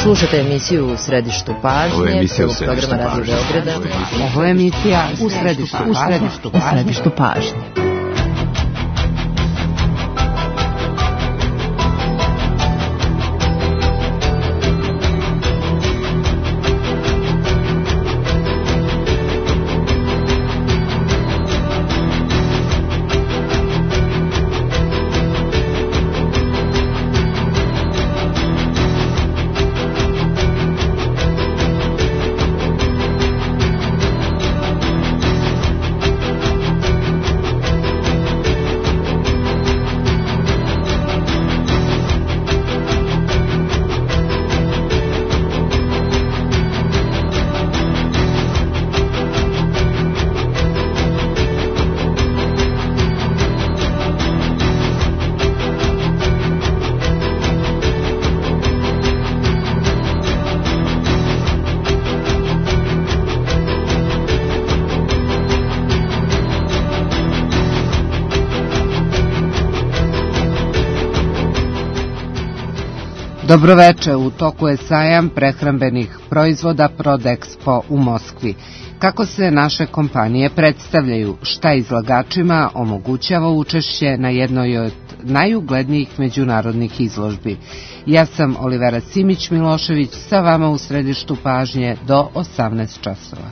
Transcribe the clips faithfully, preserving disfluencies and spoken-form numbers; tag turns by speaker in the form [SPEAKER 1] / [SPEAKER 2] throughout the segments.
[SPEAKER 1] Slušate emisiju U središtu pažnje,
[SPEAKER 2] Ovo je emisija U
[SPEAKER 1] prvog programa Radio Beograda.
[SPEAKER 3] Ovo je emisija U središtu, u središtu, u središtu pažnje. Dobroveče, u toku je sajam prehrambenih proizvoda Prodexpo u Moskvi. Kako se naše kompanije predstavljaju, šta izlagačima omogućava učešće na jednoj od najuglednijih međunarodnih izložbi. Ja sam Olivera Simić-Milošević, sa vama u središtu pažnje do osamnaest časova.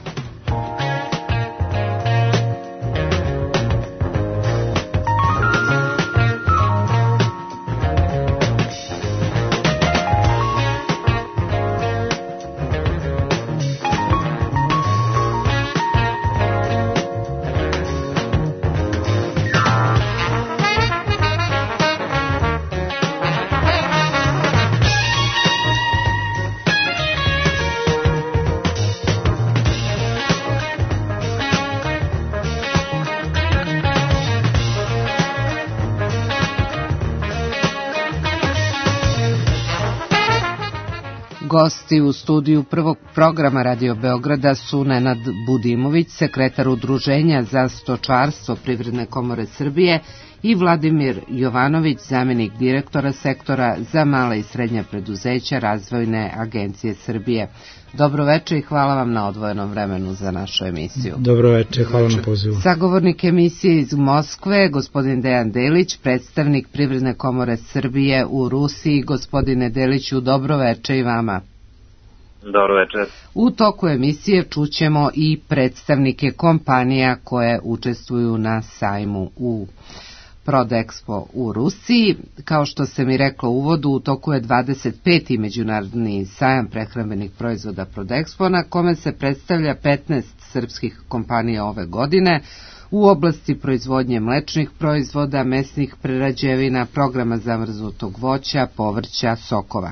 [SPEAKER 3] Gosti u studiju prvog programa Radio Beograda su Nenad Budimović, sekretar Udruženja za stočarstvo Privredne komore Srbije, i Vladimir Jovanović, zamjenik direktora sektora za mala i srednja preduzeća Razvojne agencije Srbije. Dobroveče i hvala vam na odvojenom vremenu za našu emisiju.
[SPEAKER 4] Dobroveče, hvala na pozivu.
[SPEAKER 1] Sagovornik emisije iz Moskve, gospodin Dejan Delić, predstavnik Privredne komore Srbije u Rusiji. Gospodine Deliću, dobroveče i vama.
[SPEAKER 5] Dobroveče.
[SPEAKER 1] U toku emisije čućemo i predstavnike kompanija koje učestvuju na sajmu u Prodexpo u Rusiji. Kao što se mi reklo u uvodu, u toku je dvadeset peti međunarodni sajam prehrambenih proizvoda Prodexpo, na kome se predstavlja petnaest srpskih kompanija ove godine u oblasti proizvodnje mlečnih proizvoda, mesnih prerađevina, programa zamrznutog voća, povrća, sokova.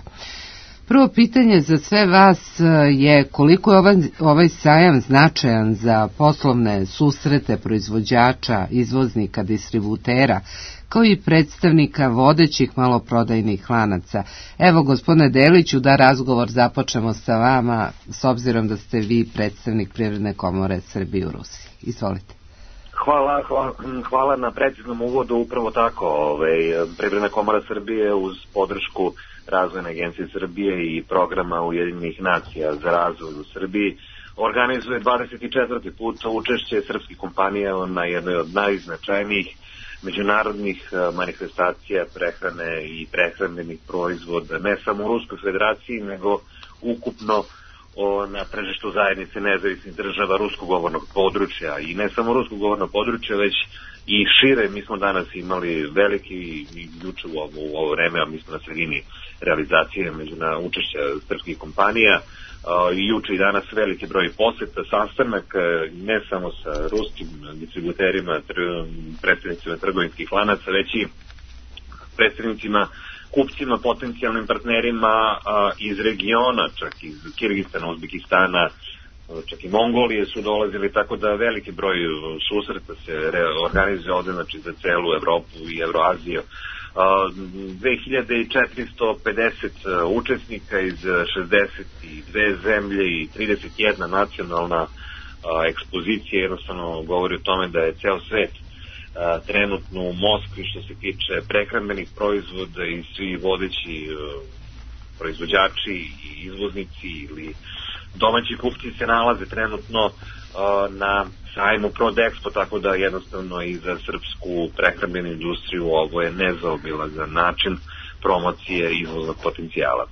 [SPEAKER 1] Prvo pitanje za sve vas je koliko je ovaj, ovaj sajam značajan za poslovne susrete proizvođača, izvoznika, distributera, kao i predstavnika vodećih maloprodajnih lanaca. Evo, gospodine Deliću, da razgovor započnemo sa vama, s obzirom da ste vi predstavnik Privredne komore Srbije u Rusiji. Izvolite.
[SPEAKER 5] Hvala, hvala, hvala na preciznom uvodu, upravo tako. Ovaj, Privredna komora Srbije uz podršku Razvojne agencije Srbije i programa Ujedinjenih nacija za razvoj u Srbiji organizuje dvadeset četvrti put učešće srpskih kompanija na jednoj od najznačajnijih međunarodnih manifestacija prehrane i prehrambenih proizvoda, ne samo u Ruskoj federaciji, nego ukupno o, na tržištu zajednice nezavisnih država ruskog govornog područja, i ne samo ruskog govornog područja, već i šire. Mi smo danas imali veliki, i juče u ovo, u ovo vreme, a mi smo na sredini realizacije međuna učešća srpskih kompanija, uh, i juče i danas veliki broj poseta, sastanak ne samo sa ruskim distributerima, tr, predstavnicima trgovinskih lanaca, već i predstavnicima, kupcima, potencijalnim partnerima uh, iz regiona, čak iz Kirgistana, Uzbekistana, čak i Mongolije su dolazili, tako da veliki broj susreta se organizuje ovde, znači za celu Evropu i Evroaziju. dve hiljade četiristo pedeset učesnika iz šezdeset dve zemlje i trideset jedna nacionalna ekspozicija jednostavno govori o tome da je ceo svet trenutno u Moskvi što se tiče prehrambenih proizvoda i svi vodeći proizvođači i izvoznici ili domaći kupci se nalaze trenutno na sajmu Prodexpo, tako da jednostavno i za srpsku prehrambenu industriju ovo je nezaobilazan način promocije izvoznog potencijala.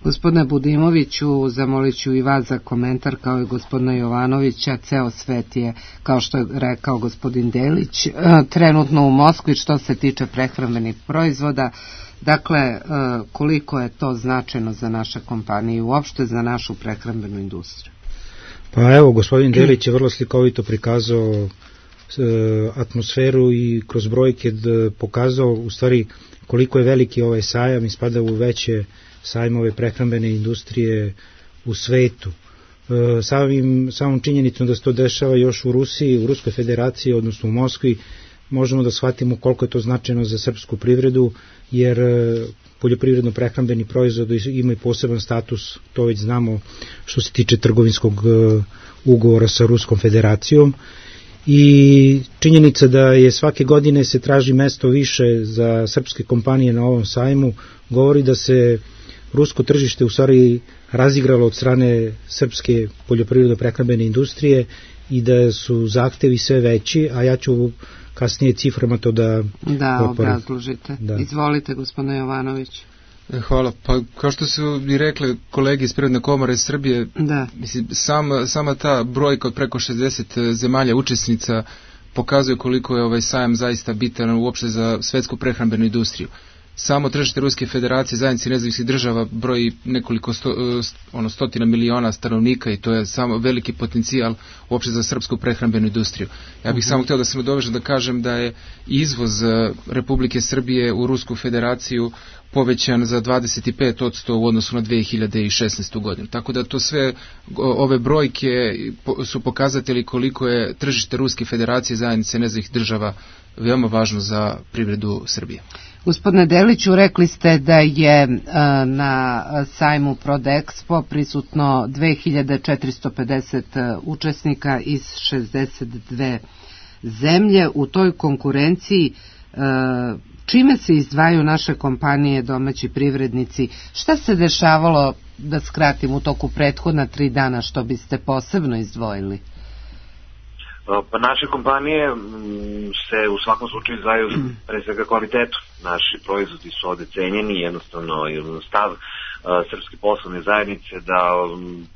[SPEAKER 1] Gospodine Budimoviću, zamolit ću i vas za komentar kao i gospodina Jovanovića. Ceo svet je, kao što je rekao gospodin Delić, trenutno u Moskvi što se tiče prehrambenih proizvoda. Dakle, koliko je to značajno za naše kompanije i uopšte za našu prehrambenu industriju?
[SPEAKER 2] Pa evo, gospodin Delić je vrlo slikovito prikazao atmosferu i kroz brojke pokazao u stvari koliko je veliki ovaj sajam i spada u veće sajmove prehrambene industrije u svetu. Samim, samom činjenicom da se to dešava još u Rusiji, u Ruskoj federaciji, odnosno u Moskvi, možemo da shvatimo koliko je to značajno za srpsku privredu, jer poljoprivredno prehrambeni proizvod ima i poseban status, to već znamo što se tiče trgovinskog ugovora sa Ruskom federacijom. I činjenica da je svake godine se traži mesto više za srpske kompanije na ovom sajmu govori da se rusko tržište u stvari razigralo od strane srpske poljoprivredno prehrambene industrije i da su zahtevi sve veći, a ja ću kasnije ciframa to da
[SPEAKER 1] da obrazložite. Da. Izvolite, gospodine Jovanović.
[SPEAKER 4] Hvala. Pa kao što su i rekli kolege iz Privredne komore Srbije, da. Mislim, sam, sama ta brojka od preko šezdeset zemalja učesnica pokazuje koliko je ovaj sajam zaista bitan uopšte za svetsku prehrambenu industriju. Samo tržište Ruske federacije, zajednice nezavisnih država, broji nekoliko sto, ono, stotina miliona stanovnika i to je samo veliki potencijal uopšte za srpsku prehrambenu industriju. Ja bih uh-huh. samo htio da se nadovežem da kažem da je izvoz Republike Srbije u Rusku federaciju povećan za dvadeset pet posto u odnosu na dve hiljade šesnaestu. godinu. Tako da to sve, ove brojke su pokazatelji koliko je tržište Ruske federacije, zajednice nezavisnih država veoma važno za privredu Srbije.
[SPEAKER 1] Gospodine Deliću, rekli ste da je na sajmu Prodexpo prisutno dve hiljade četiristo pedeset učesnika iz šezdeset dve zemlje. U toj konkurenciji čime se izdvajaju naše kompanije, domaći privrednici? Šta se dešavalo, da skratim, u toku prethodna tri dana, što biste posebno izdvojili?
[SPEAKER 5] Pa naše kompanije se u svakom slučaju izdvajaju pre svega kvalitetu. Naši proizvodi su ovde cenjeni, jednostavno stav srpske poslovne zajednice da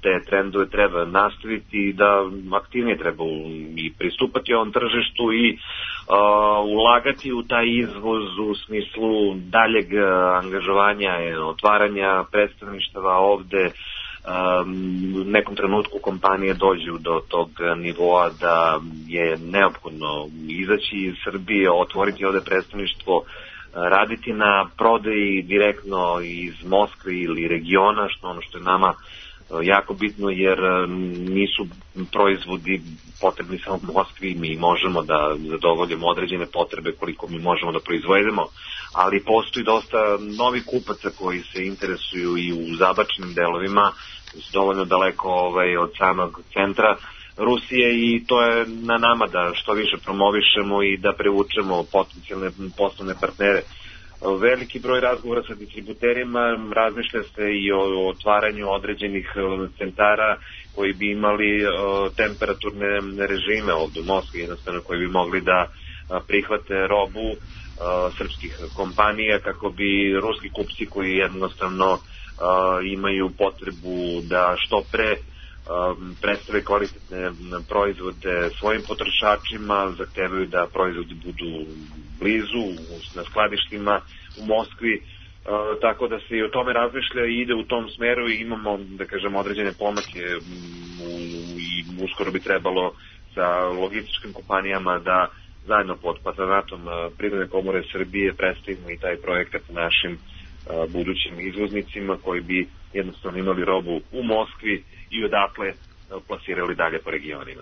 [SPEAKER 5] te trendove treba nastaviti i da aktivnije treba i pristupati ovom tržištu i uh, ulagati u taj izvoz u smislu daljeg angažovanja, otvaranja predstavništava ovde. U nekom trenutku kompanije dođu do tog nivoa da je neophodno izaći iz Srbije, otvoriti ovde predstavništvo, raditi na prodaji direktno iz Moskve ili regiona, što ono što je nama jako bitno, jer nisu proizvodi potrebni samo u Moskvi, mi možemo da zadovoljimo određene potrebe koliko mi možemo da proizvedemo, ali postoji dosta novih kupaca koji se interesuju i u zabačnim delovima, dovoljno daleko ovaj, od samog centra Rusije, i to je na nama da što više promovišemo i da privučemo potencijalne poslovne partnere. Veliki broj razgovora sa distributerima, razmišlja se i o otvaranju određenih centara koji bi imali temperaturne režime ovdje u Moskvi, jednostavno koji bi mogli da prihvate robu srpskih kompanija kako bi ruski kupci koji jednostavno imaju potrebu da što pre predstave kvalitetne proizvode svojim potrošačima, zahtevaju da proizvodi budu blizu, na skladištima u Moskvi, e, tako da se i o tome razmišlja i ide u tom smeru i imamo, da kažem, određene pomake u, i uskoro bi trebalo sa logističkim kompanijama da zajedno pod patronatom Privredne komore Srbije predstavimo i taj projekat našim a, budućim izvoznicima koji bi jednostavno imali robu u Moskvi i odatle plasirali dalje po regionima.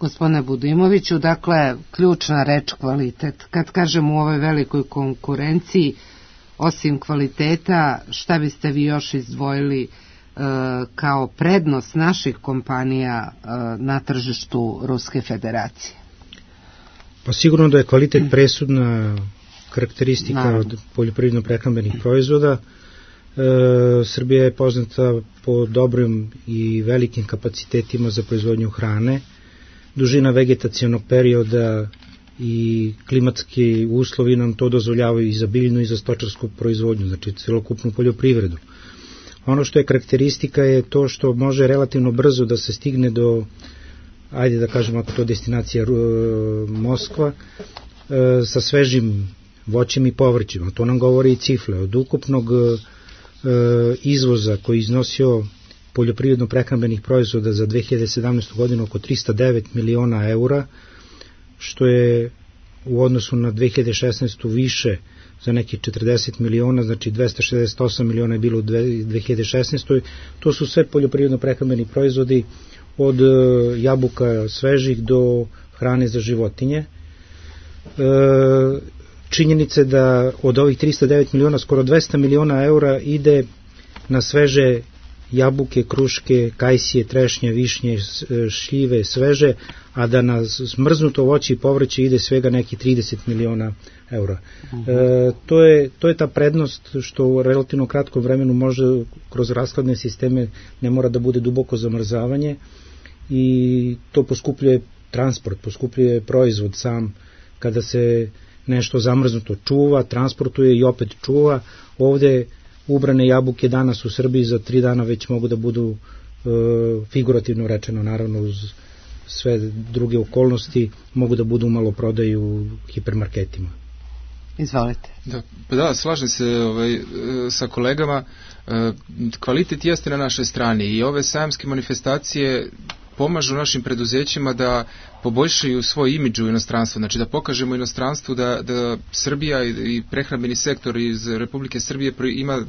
[SPEAKER 1] Gospodine Budimoviću, dakle, ključna reč kvalitet. Kad kažem u ovoj velikoj konkurenciji, osim kvaliteta, šta biste vi još izdvojili e, kao prednost naših kompanija e, na tržištu Ruske federacije?
[SPEAKER 2] Pa sigurno da je kvalitet presudna karakteristika Naravno. od poljoprivredno-prehrambenih proizvoda. E, Srbija je poznata po dobrim i velikim kapacitetima za proizvodnju hrane. Dužina vegetacionog perioda i klimatski uslovi nam to dozvoljavaju i za biljnu i za stočarsku proizvodnju, znači celokupnu poljoprivredu. Ono što je karakteristika je to što može relativno brzo da se stigne do, ajde da kažemo ako to destinacija Moskva, e, sa svežim voćem i povrćima. To nam govori i cifre. Od ukupnog e, izvoza koji iznosio poljoprivredno prehrambenih proizvoda za dve hiljade sedamnaestu. godinu oko trista devet miliona eura, što je u odnosu na dve hiljade šesnaestu. više za nekih četrdeset miliona, znači dvesta šezdeset osam miliona je bilo u dve hiljade šesnaestoj. To su sve poljoprivredno prehrambeni proizvodi od jabuka svežih do hrane za životinje. Činjenice da od ovih trista devet miliona skoro dvesta miliona eura ide na sveže jabuke, kruške, kajsije, trešnje, višnje, šljive, sveže, a da na smrznuto voće i povrće ide svega neki trideset miliona eura. Uh-huh. E, to, je, to je ta prednost što u relativno kratkom vremenu može kroz rashladne sisteme, ne mora da bude duboko zamrzavanje i to poskupljuje transport, poskupljuje proizvod sam kada se nešto zamrznuto čuva, transportuje i opet čuva. Ovde ubrane jabuke danas u Srbiji za tri dana već mogu da budu e, figurativno rečeno, naravno uz sve druge okolnosti, mogu da budu u maloprodaju u hipermarketima.
[SPEAKER 1] Izvolite.
[SPEAKER 4] Da, da slažem se ovaj, sa kolegama. Kvalitet jeste na našoj strani i ove sajamske manifestacije pomažu našim preduzećima da poboljšaju svoj imidž u inostranstvu, znači da pokažemo inostranstvu da, da Srbija i prehrambeni sektor iz Republike Srbije ima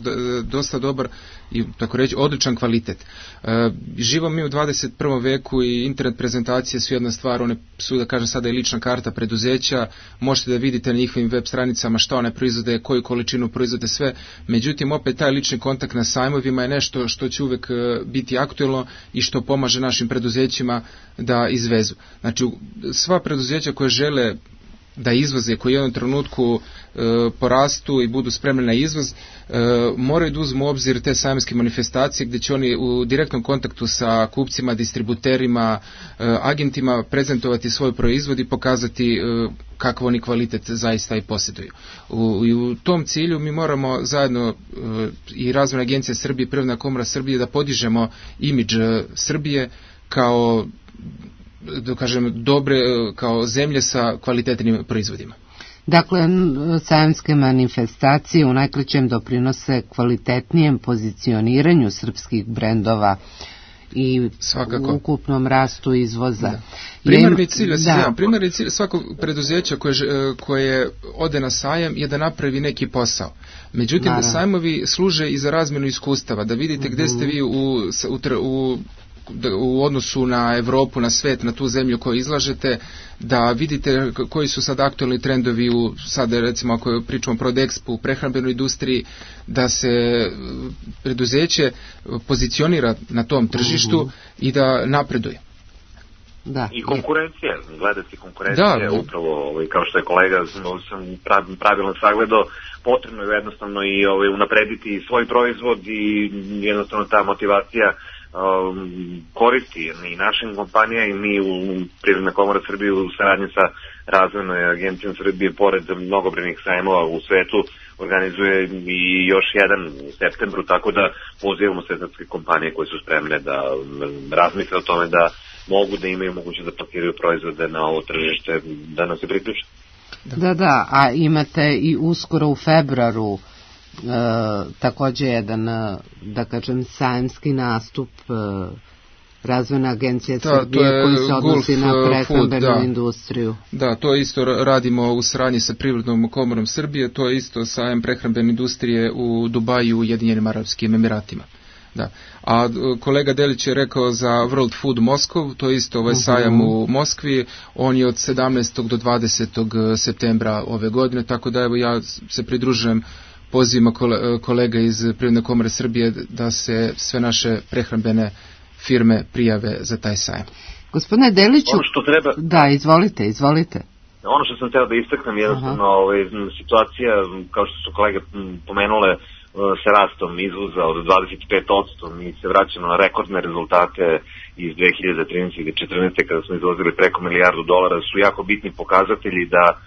[SPEAKER 4] dosta dobar i tako reći odličan kvalitet. E, živo mi u dvadeset prvom veku i internet prezentacije su jedna stvar, one su da kažem sada i lična karta preduzeća, možete da vidite na njihovim web stranicama šta one proizvode, koju količinu proizvode sve, međutim opet taj lični kontakt na sajmovima je nešto što će uvek biti aktuelno i što pomaže našim preduzećima da izvezu. Znači sva preduzeća koje žele da izvoze, koji u jednom trenutku e, porastu i budu spremni na izvoz, e, moraju da uzmu u obzir te sajamske manifestacije gdje će oni u direktnom kontaktu sa kupcima, distributerima, e, agentima prezentovati svoj proizvod i pokazati e, kakav oni kvalitet zaista i posjeduju. U, I u tom cilju mi moramo zajedno e, i Razvojna agencija Srbije i Privredna komora Srbije da podižemo imidž Srbije kao da kažem, dobre, kao zemlje sa kvalitetnim proizvodima.
[SPEAKER 1] Dakle, sajamske manifestacije u najkraćem doprinose kvalitetnijem pozicioniranju srpskih brendova i
[SPEAKER 4] svakako
[SPEAKER 1] u ukupnom rastu izvoza.
[SPEAKER 4] Da. Primarni cilj, ja da. primarni cilj svakog preduzeća koje, koje ode na sajam je da napravi neki posao. Međutim, Naravno. da sajmovi služe i za razmjenu iskustava, da vidite gde ste vi u, u, u u odnosu na Evropu, na svet, na tu zemlju koju izlažete, da vidite koji su sad aktualni trendovi u, sad recimo ako pričamo o Prodexpu, u prehrambenoj industriji, da se preduzeće pozicionira na tom tržištu uh-huh. i da napreduje.
[SPEAKER 5] Da. I konkurencija, gledati konkurencija, da, upravo ovaj, kao što je kolega sam pravilno sagledao, potrebno je jednostavno i ovaj, unaprediti svoj proizvod i jednostavno ta motivacija Um, koristi i našim kompanija i mi u Privredna komora Srbije u saradnji sa Razvojnom agencijom Srbije pored mnogobrojnih sajmova u svetu organizuje i još jedan u septembru, tako da pozivamo sve srpske kompanije koje su spremne da razmisle o tome da mogu da imaju mogućnost da pakiraju proizvode na ovo tržište, da nam se priključe.
[SPEAKER 1] Da, da, da, a imate i uskoro u februaru E, također jedan, da kažem, sajamski nastup e, Razvojna agencija Srbije koji se odnosi na prehrambenu da. industriju.
[SPEAKER 4] Da, to isto radimo u saradnji sa Privrednom komorom Srbije, to je isto sajam prehrambene industrije u Dubaju u Ujedinjenim Arapskim Emiratima. Da. A kolega Delić je rekao za World Food Moskov, to je isto ovaj uh-huh. sajam u Moskvi, on je od sedamnaestog do dvadesetog septembra ove godine, tako da evo ja se pridružujem pozivima kolega iz Privredne komore Srbije da se sve naše prehrambene firme prijave za taj sajam.
[SPEAKER 1] Gospodine Deliću,
[SPEAKER 5] ono što treba...
[SPEAKER 1] da, izvolite, izvolite.
[SPEAKER 5] Ono što sam teo da istaknem, jednostavno ovaj, situacija, kao što su kolege pomenule, sa rastom izvoza od dvadeset pet posto, mi se vraćamo na rekordne rezultate iz dve hiljade trinaeste i četrnaeste kada smo izvozili preko milijardu dolara, su jako bitni pokazatelji da uh,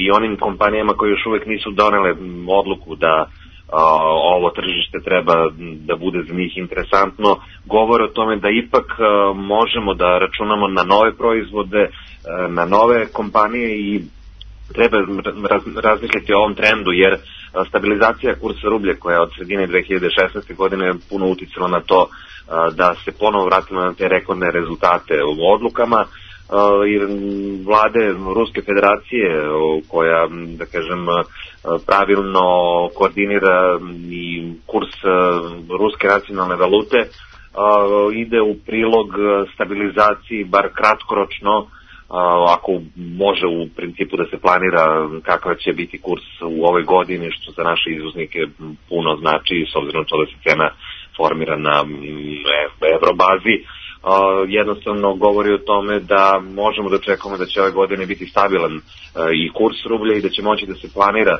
[SPEAKER 5] i onim kompanijama koje još uvek nisu donele odluku da uh, ovo tržište treba da bude za njih interesantno, govore o tome da ipak uh, možemo da računamo na nove proizvode, uh, na nove kompanije i treba raz, razmišljati o ovom trendu, jer stabilizacija kursa rublja koja je od sredine dve hiljade šesnaeste godine puno uticala na to da se ponovo vratimo na te rekordne rezultate u odlukama, i vlade Ruske federacije koja, da kažem, pravilno koordinira i kurs ruske nacionalne valute, ide u prilog stabilizaciji, bar kratkoročno, ako može u principu da se planira kakav će biti kurs u ovoj godini, što za naše izvoznike puno znači, s obzirom na to da se cena formira na evrobazi, jednostavno govori o tome da možemo da očekujemo da će ove godine biti stabilan i kurs rublja i da će moći da se planira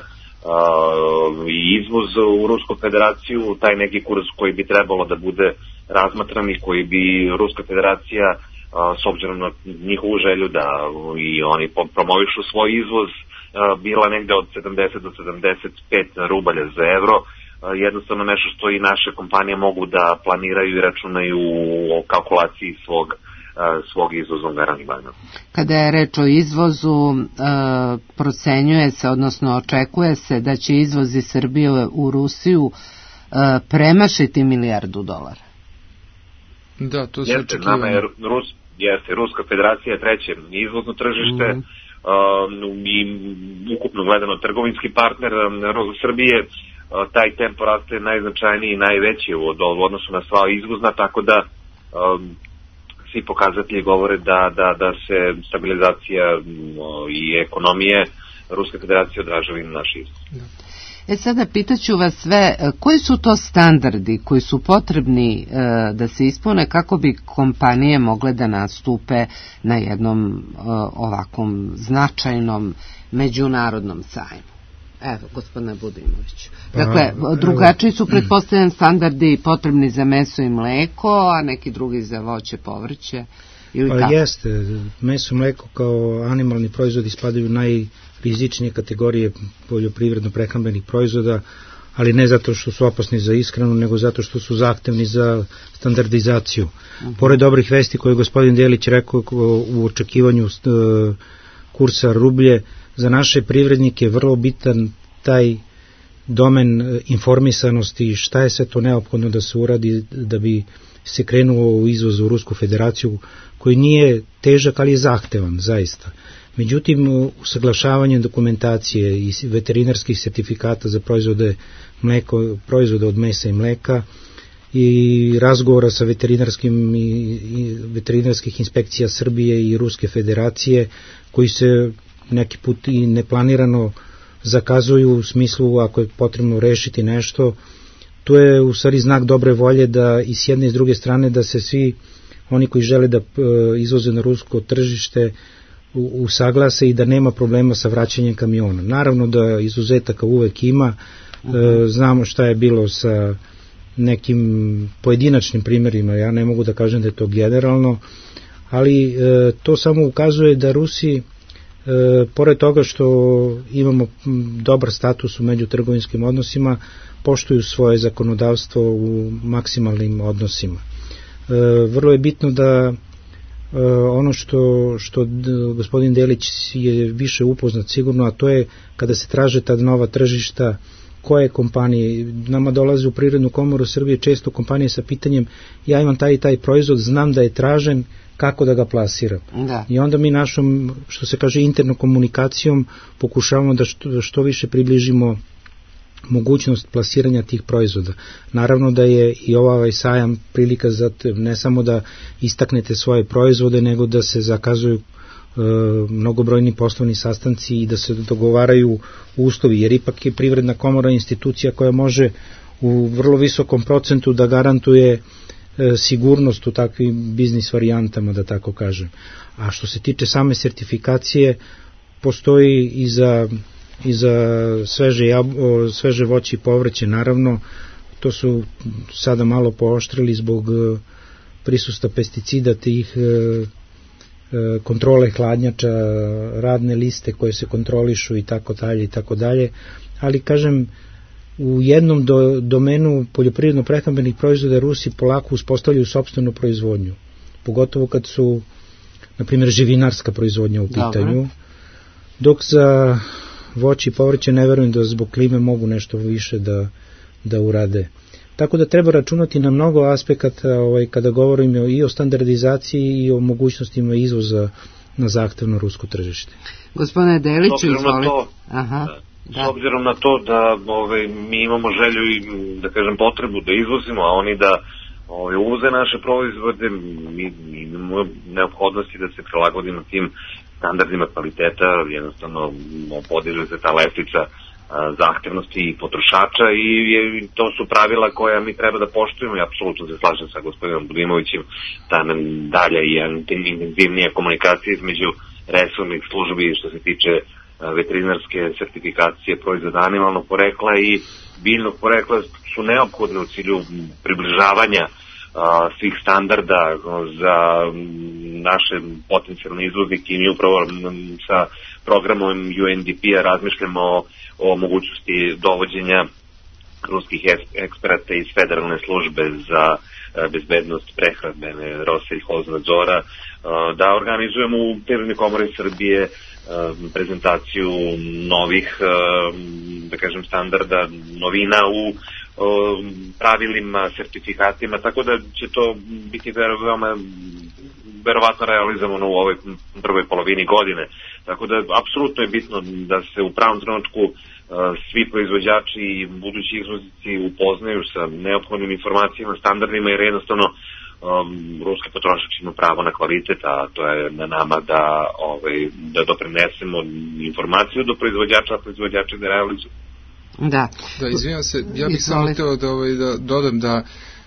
[SPEAKER 5] i izvoz u Rusku federaciju, taj neki kurs koji bi trebalo da bude razmatran i koji bi Ruska federacija, s obzirom na njihovu želju da i oni promovišu svoj izvoz, bila negde od sedamdeset do sedamdeset pet rubalja za evro, jednostavno nešto što i naše kompanije mogu da planiraju i računaju o kalkulaciji svog, svog izvoznog aranžmana.
[SPEAKER 1] Kada je reč o izvozu, procenjuje se, odnosno očekuje se da će izvoz iz Srbije u Rusiju premašiti milijardu dolara.
[SPEAKER 4] Da, to se
[SPEAKER 5] jeste, nama je Rus, jeste, Ruska federacija je treće izvozno tržište, mm. uh, i ukupno gledano trgovinski partner uh, Srbije, uh, taj tempo raste najznačajniji i najveći u, u odnosu na sva izvozna, tako da uh, svi pokazatelji govore da, da, da se stabilizacija uh, i ekonomije Ruske federacije odražava i na naš izvoz. Da.
[SPEAKER 1] E sada pitaću vas sve, koji su to standardi koji su potrebni e, da se ispune kako bi kompanije mogle da nastupe na jednom e, ovakvom značajnom međunarodnom sajmu? Evo, gospodine Budimoviću. Dakle, drugačiji su pretpostavljeni standardi potrebni za meso i mleko, a neki drugi za voće, povrće. Ili
[SPEAKER 2] pa kako? Jeste, meso i mleko kao animalni proizvodi spadaju najrizičnije kategorije poljoprivredno-prehrambenih proizvoda, ali ne zato što su opasni za ishranu, nego zato što su zahtevni za standardizaciju. Uh-huh. Pored dobrih vesti koje je gospodin Delić rekao u očekivanju kursa rublje, za naše privrednike je vrlo bitan taj domen informisanosti, šta je sve to neophodno da se uradi da bi se krenuo u izvoz u Rusku federaciju, koji nije težak, ali je zahtevan, zaista. Međutim, usaglašavanje dokumentacije i veterinarskih sertifikata za proizvode, mleko, proizvode od mesa i mleka i razgovora sa veterinarskim i, i veterinarskih inspekcija Srbije i Ruske federacije, koji se neki put i neplanirano zakazuju u smislu ako je potrebno rešiti nešto. To je u stvari znak dobre volje da i s jedne i s druge strane da se svi oni koji žele da izvoze na rusko tržište usaglase i da nema problema sa vraćanjem kamiona. Naravno da izuzetaka uvek ima, uh-huh. Znamo šta je bilo sa nekim pojedinačnim primjerima, ja ne mogu da kažem da je to generalno, ali to samo ukazuje da Rusi, pored toga što imamo dobar status u međutrgovinskim odnosima, poštuju svoje zakonodavstvo u maksimalnim odnosima. Vrlo je bitno da ono što, što gospodin Delić je više upoznat sigurno, a to je kada se traže ta nova tržišta, koje kompanije, nama dolaze u Privrednu komoru Srbije često kompanije sa pitanjem, ja imam taj i taj proizvod, znam da je tražen, kako da ga plasiram. Da. I onda mi našom, što se kaže, internom komunikacijom pokušavamo da što, što više približimo mogućnost plasiranja tih proizvoda. Naravno da je i ovaj sajam prilika za ne samo da istaknete svoje proizvode, nego da se zakazuju e, mnogobrojni poslovni sastanci i da se dogovaraju uslovi, jer ipak je Privredna komora institucija koja može u vrlo visokom procentu da garantuje e, sigurnost u takvim biznis varijantama, da tako kažem. A što se tiče same sertifikacije, postoji i za, i za sveže, jab, sveže voće i povrće, naravno. To su sada malo pooštrili zbog prisustva pesticida, tih kontrole hladnjača, radne liste koje se kontrolišu i tako dalje i tako dalje, ali kažem, u jednom do, domenu poljoprivredno-prehrambenih proizvoda Rusi polako uspostavljaju sopstvenu proizvodnju, pogotovo kad su, na primjer, živinarska proizvodnja u pitanju. Dobre. Dok za voće i povrće ne verujem da zbog klime mogu nešto više da, da urade. Tako da treba računati na mnogo aspekata ovaj, kada govorimo i o standardizaciji i o mogućnostima izvoza na zahtevno rusko tržište.
[SPEAKER 1] Gospodine Deliću, izvolite.
[SPEAKER 5] Aha. Da. S obzirom na to da ove, mi imamo želju i, da kažem, potrebu da izvozimo, a oni da ove, uvoze naše proizvode, mi, mi imamo neophodnosti da se prilagodimo tim standardima kvaliteta, jednostavno podiže se ta lestvica zahtevnosti i potrošača i, i to su pravila koja mi treba da poštujemo i apsolutno se slažem sa gospodinom Budimovićem da nam dalje i intenzivnija komunikacija između resornih službi što se tiče veterinarske sertifikacije proizvoda animalnog porekla i biljnog porekla su neophodne u cilju približavanja a, svih standarda za naše potencijalne izvoznike i mi upravo sa programom U N D P-a razmišljamo o, o mogućnosti dovođenja ruskih eksperata iz Federalne službe za bezbednost prehrambene Roselj-Hoznadzora da organizujemo u Privrednoj komori Srbije prezentaciju novih, da kažem, standarda, novina u pravilima, sertifikatima, tako da će to biti veoma verovatno realizovano u ovoj prvoj polovini godine. Tako da apsolutno je bitno da se u pravom trenutku svi proizvođači i budući izvoznici upoznaju sa neophodnim informacijama, standardima, jer jednostavno um, ruski potrošač ima pravo na kvalitet, a to je na nama da, ovaj, da doprinesemo informaciju do proizvođača, a proizvođači da realizuju.
[SPEAKER 1] Da.
[SPEAKER 4] Da, izvinjam se, ja bih samo hteo da, ovaj, da dodam da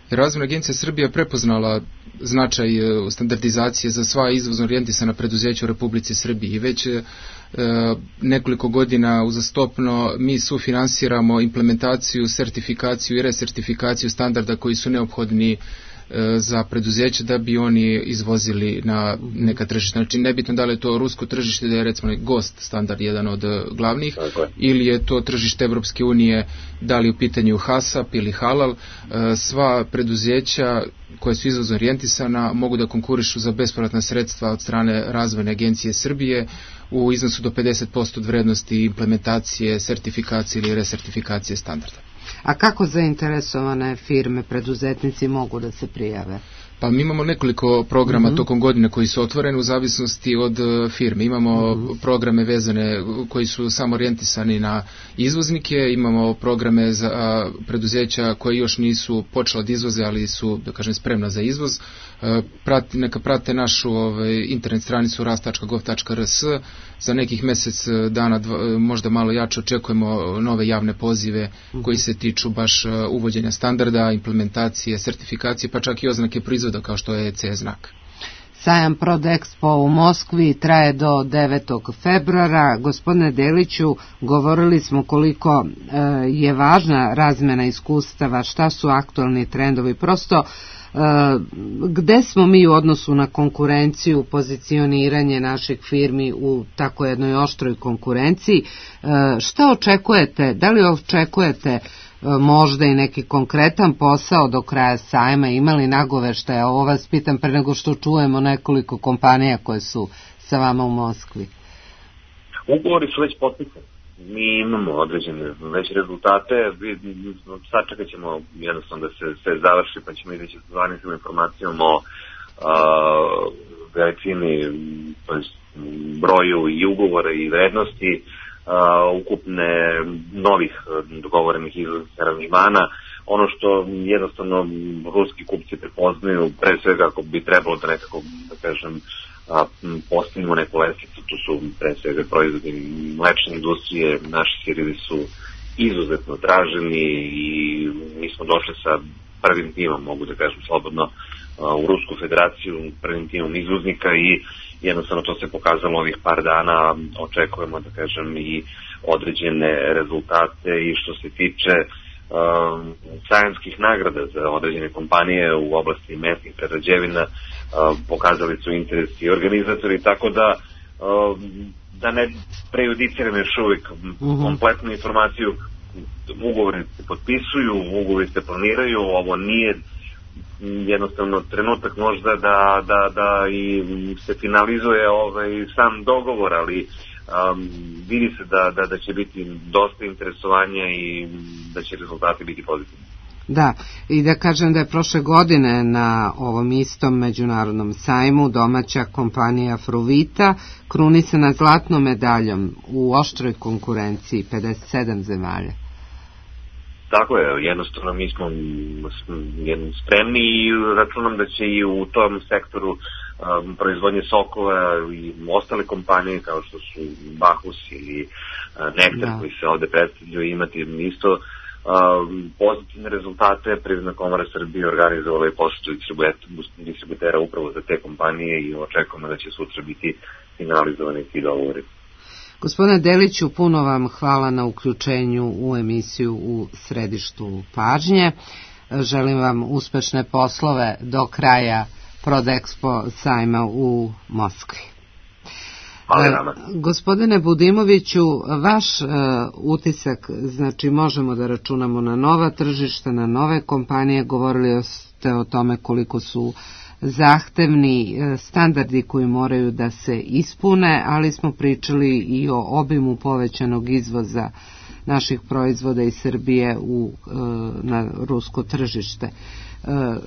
[SPEAKER 4] Razvojna agencija Srbija prepoznala značaj standardizacije za sva izvozno orijentisana preduzeća u Republici Srbiji i već e, nekoliko godina uzastopno mi sufinansiramo implementaciju, sertifikaciju i resertifikaciju standarda koji su neophodni za preduzeće da bi oni izvozili na neka tržišta. Znači nebitno da li je to rusko tržište, da je recimo GOST standard jedan od glavnih, ili je to tržište Evropske unije, da li u pitanju HASAP ili Halal, sva preduzeća koje su izvozno orijentisana mogu da konkurišu za bespovratna sredstva od strane Razvojne agencije Srbije u iznosu do pedeset posto od vrednosti implementacije, sertifikacije ili resertifikacije standarda.
[SPEAKER 1] A kako zainteresovane firme, preduzetnici mogu da se prijave?
[SPEAKER 4] Pa mi imamo nekoliko programa mm-hmm. tokom godine koji su otvoreni u zavisnosti od firme. Imamo mm-hmm. programe vezane koji su samo orijentisani na izvoznike, imamo programe za preduzeća koje još nisu počela da izvoze, ali su, da kažem, spremna za izvoz. Prati, neka prate našu ovaj, internet stranicu rast tačka gov tačka r s. Za nekih mesec dana, dva, možda malo jače, očekujemo nove javne pozive mm-hmm. koji se tiču baš uvođenja standarda, implementacije, sertifikacije, pa čak i oznake proizvoda kao što je C E znak.
[SPEAKER 1] Sajam Prodexpo u Moskvi traje do devetog februara. Gospodine Deliću, govorili smo koliko e, je važna razmena iskustava, šta su aktualni trendovi, prosto e, gde smo mi u odnosu na konkurenciju, pozicioniranje naših firmi u tako jednoj oštroj konkurenciji, e, šta očekujete, da li očekujete možda i neki konkretan posao do kraja sajma, imali nagoveštaja? Ovo vas pitam pre nego što čujemo nekoliko kompanija koje su sa vama u Moskvi.
[SPEAKER 5] Ugovori su već potpisani. Mi imamo određene već rezultate. Sačekat ćemo jednostavno da se sve završi, pa ćemo izaći sa zvaničnom informacijom o veličini, broju i ugovora i vrednosti Uh, ukupne novih dogovorenih izvoznih aranžmana. Ono što jednostavno ruski kupci prepoznaju, pre svega ako bi trebalo da nekako, da kažem, uh, postavimo neku lestvicu, tu su pre svega proizvodi mlečne industrije, naši sirevi su izuzetno traženi i mi smo došli sa prvim timom, mogu da kažem slobodno, u Rusku federaciju prvim timom izvoznika i jednostavno to se pokazalo ovih par dana. Očekujemo, da kažem, i određene rezultate i što se tiče um, sajamskih nagrada za određene kompanije u oblasti mesnih prerađevina, um, pokazali su interes i organizatori, tako da um, da ne prejudiciram još uvijek uh-huh. kompletnu informaciju. Ugovori se potpisuju, ugovori se planiraju, ovo nije jednostavno trenutak možda da, da, da i se finalizuje ovaj sam dogovor, ali um, vidi se da, da, da će biti dosta interesovanja i da će rezultati biti pozitivni.
[SPEAKER 1] Da, i da kažem da je prošle godine na ovom istom međunarodnom sajmu domaća kompanija Fruvita krunisana zlatnom medaljom u oštroj konkurenciji pedeset sedam zemalja.
[SPEAKER 5] Tako je, jednostavno mi smo spremni i računam da će i u tom sektoru um, proizvodnje sokova i ostale kompanije kao što su Bahus ili uh, Nektar da. koji se ovde predstavljaju imati isto um, pozitivne rezultate. Privredna komora Srbije organizovala je posetu distributera upravo za te kompanije i očekujemo da će sutra biti finalizovani ti dogovori.
[SPEAKER 1] Gospodine Deliću, puno vam hvala na uključenju u emisiju U središtu pažnje. Želim vam uspešne poslove do kraja Prodexpo sajma u Moskvi.
[SPEAKER 5] Hvala.
[SPEAKER 1] Gospodine Budimoviću, vaš uh, utisak, znači možemo da računamo na nova tržišta, na nove kompanije, govorili ste o tome koliko su zahtevni standardi koji moraju da se ispune, ali smo pričali i o obimu povećanog izvoza naših proizvoda iz Srbije u, na rusko tržište.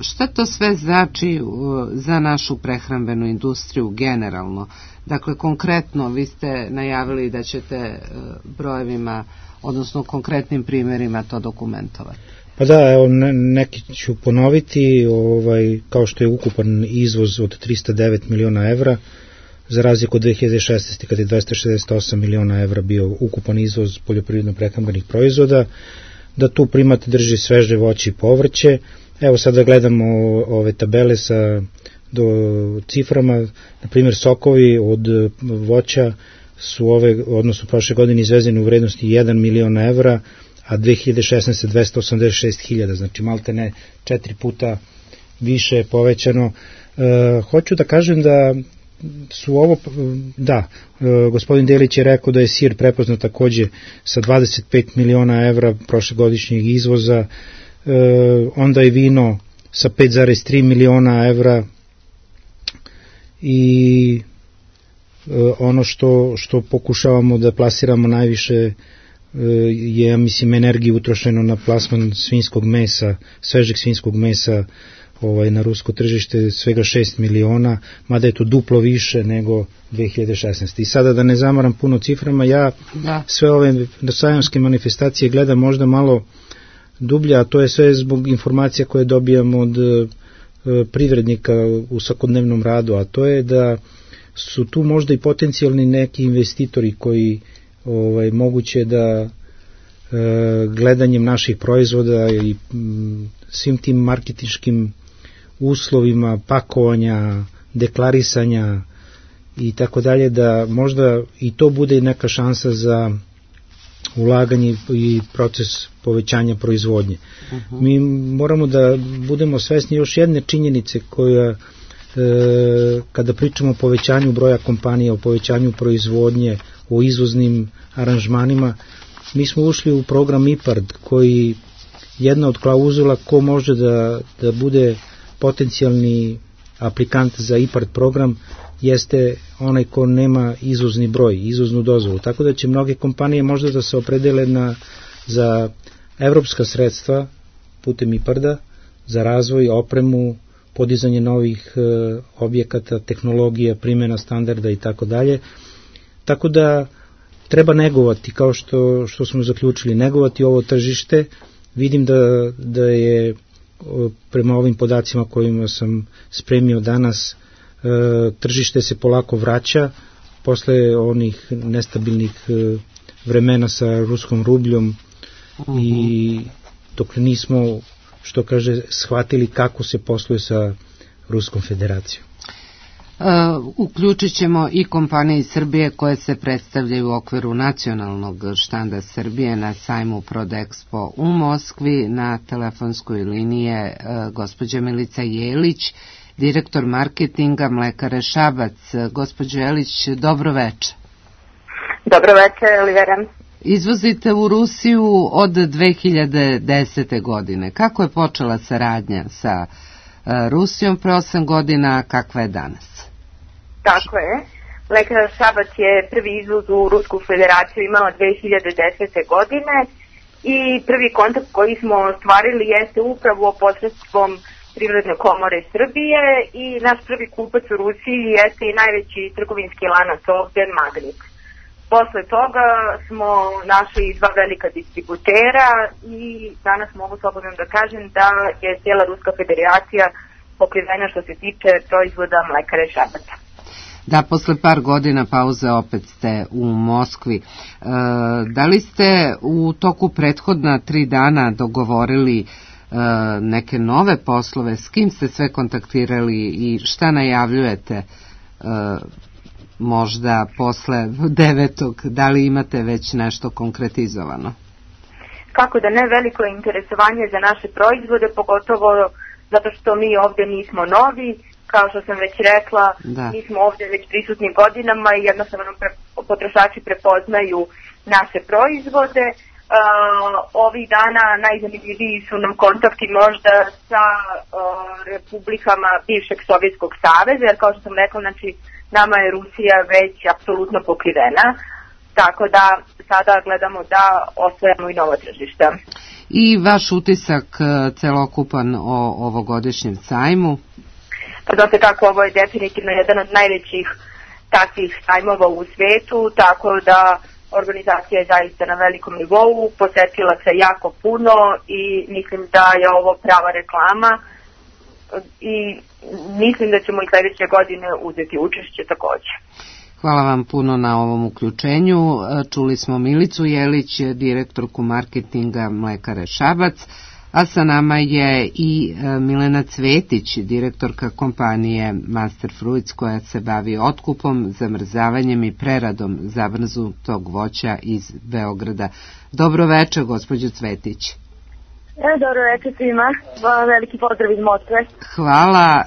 [SPEAKER 1] Šta to sve znači za našu prehrambenu industriju generalno? Dakle, konkretno vi ste najavili da ćete brojevima, odnosno konkretnim primjerima to dokumentovati.
[SPEAKER 2] Pa da, evo, neki ću ponoviti, ovaj, kao što je ukupan izvoz od tristo devet miliona evra, za razliku od dve hiljade šesnaeste. kada je dvesta šezdeset osam miliona evra bio ukupan izvoz poljoprivredno-prehrambenih proizvoda, da tu primat drži sveže voće i povrće. Evo sad da gledamo ove tabele sa do ciframa, na primjer sokovi od voća su ove, odnosno prošle godine izvezeni u vrednosti jedan milion evra, a dve hiljade šesnaeste. dvesta osamdeset šest hiljada, znači malte ne četiri puta više povećano. E, hoću da kažem da su ovo, da, e, gospodin Delić je rekao da je sir prepoznat takođe sa dvadeset pet miliona evra prošlegodišnjeg izvoza, e, onda je vino sa pet zarez tri miliona evra i e, ono što, što pokušavamo da plasiramo najviše je, ja mislim, energiju utrošeno na plasman svinjskog mesa, svežeg svinjskog mesa ovaj, na rusko tržište, svega šest miliona, mada je to duplo više nego dve hiljade šesnaeste. I sada da ne zamaram puno ciframa, ja da. sve ove sajamske manifestacije gledam možda malo dublje, a to je sve zbog informacija koje dobijamo od e, privrednika u svakodnevnom radu, a to je da su tu možda i potencijalni neki investitori koji ovaj, moguće da e, gledanjem naših proizvoda i m, svim tim marketinškim uslovima pakovanja, deklarisanja i tako dalje, da možda i to bude neka šansa za ulaganje i proces povećanja proizvodnje. Uh-huh. Mi moramo da budemo svesni još jedne činjenice koja, e, kada pričamo o povećanju broja kompanija, o povećanju proizvodnje, o izvoznim aranžmanima, mi smo ušli u program IPARD, koji jedna od klauzula ko može da, da bude potencijalni aplikant za IPARD program jeste onaj ko nema izvozni broj, izvoznu dozvolu. Tako da će mnoge kompanije možda da se opredele na, za evropska sredstva putem IPARD-a za razvoj, opremu, podizanje novih e, objekata, tehnologija, primjena standarda i tako dalje. Tako da treba negovati, kao što, što smo zaključili, negovati ovo tržište. Vidim da, da je prema ovim podacima kojima sam spremio danas, tržište se polako vraća posle onih nestabilnih vremena sa ruskom rubljom uh-huh. i dok nismo, što kaže, shvatili kako se posluje sa Ruskom federacijom.
[SPEAKER 1] Uh, uključit ćemo i kompanije iz Srbije koje se predstavljaju u okviru nacionalnog štanda Srbije na sajmu Prodexpo u Moskvi. Na telefonskoj liniji je uh, gospođa Milica Jelić, direktor marketinga Mlekare Šabac. Gospođo Jelić, dobro veče.
[SPEAKER 6] Dobro veče, Olivera.
[SPEAKER 1] Izvozite u Rusiju od dve hiljade desete. godine. Kako je počela saradnja sa uh, Rusijom pre osam godina, kakva je danas?
[SPEAKER 6] Tako je. Mlekara Šabac je prvi izvoz u Rusku federaciju imala dve hiljade desete. godine i prvi kontakt koji smo ostvarili jeste upravo posredstvom Privredne komore Srbije i naš prvi kupac u Rusiji jeste i najveći trgovinski lanac ovde, Magnit. Posle toga smo našli dva velika distributera i danas mogu slobodno da kažem da je cijela Ruska federacija pokrivena što se tiče proizvoda Mlekare Šabaca.
[SPEAKER 1] Da, posle par godina pauze opet ste u Moskvi. E, da li ste u toku prethodna tri dana dogovorili e, neke nove poslove? S kim ste sve kontaktirali i šta najavljujete e, možda posle devetog? Da li imate već nešto konkretizovano?
[SPEAKER 6] Kako da ne, veliko je interesovanje za naše proizvode, pogotovo zato što mi ovde nismo novi. Kao što sam već rekla, da. Mi smo ovdje već prisutni godinama i jednostavno pre, potrošači prepoznaju naše proizvode. Uh, ovih dana najzanimljiviji su nam kontakti možda sa uh, republikama bivšeg Sovjetskog saveza, jer kao što sam rekla, znači, nama je Rusija već apsolutno pokrivena, tako da sada gledamo da osvojamo i novo tržište.
[SPEAKER 1] I vaš utisak celokupan o ovogodišnjem sajmu?
[SPEAKER 6] Pa znate kako, ovo je definitivno jedan od najvećih takvih sajmova u svetu, tako da organizacija je zaista na velikom nivou, posetila se jako puno i mislim da je ovo prava reklama i mislim da ćemo i sledeće godine uzeti učešće takođe.
[SPEAKER 1] Hvala vam puno na ovom uključenju. Čuli smo Milicu Jelić, direktorku marketinga Mlekare Šabac, a sa nama je i Milena Cvetić, direktorka kompanije Master Fruits, koja se bavi otkupom, zamrzavanjem i preradom zamrznutog voća iz Beograda. Dobro večer, gospođo Cvetić.
[SPEAKER 6] E, dobro večer svima, veliki pozdrav iz Moskve.
[SPEAKER 1] Hvala,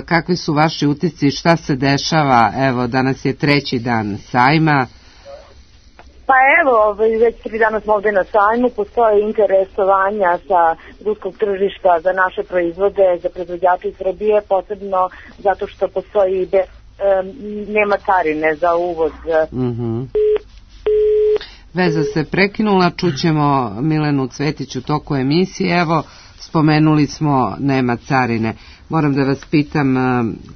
[SPEAKER 1] kakvi su vaši utisci, šta se dešava, evo danas je treći dan sajma.
[SPEAKER 6] Pa evo, već tri dana smo ovde na sajmu, postoje interesovanja sa ruskog tržišta za naše proizvode, za proizvođače iz Srbije, posebno zato što postoji bez, um, nema carine za uvoz.
[SPEAKER 1] Mhm. Veza se prekinula, čućemo Milenu Cvetić u toku emisije. Evo, spomenuli smo nema carine. Moram da vas pitam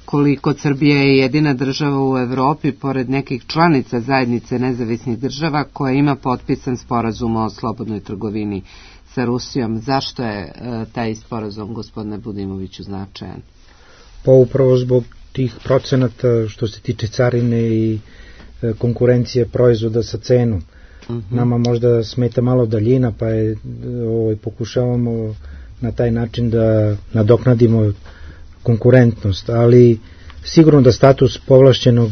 [SPEAKER 1] koliko Srbija je jedina država u Evropi, pored nekih članica zajednice nezavisnih država, koja ima potpisan sporazum o slobodnoj trgovini sa Rusijom. Zašto je taj sporazum, gospodine Budimoviću, značajan?
[SPEAKER 2] Pa upravo zbog tih procenata što se tiče carine i konkurencije proizvoda sa cenom. Uh-huh. Nama možda smeta malo daljina, pa je, ovaj, pokušavamo na taj način da nadoknadimo konkurentnost, ali sigurno da status povlašćenog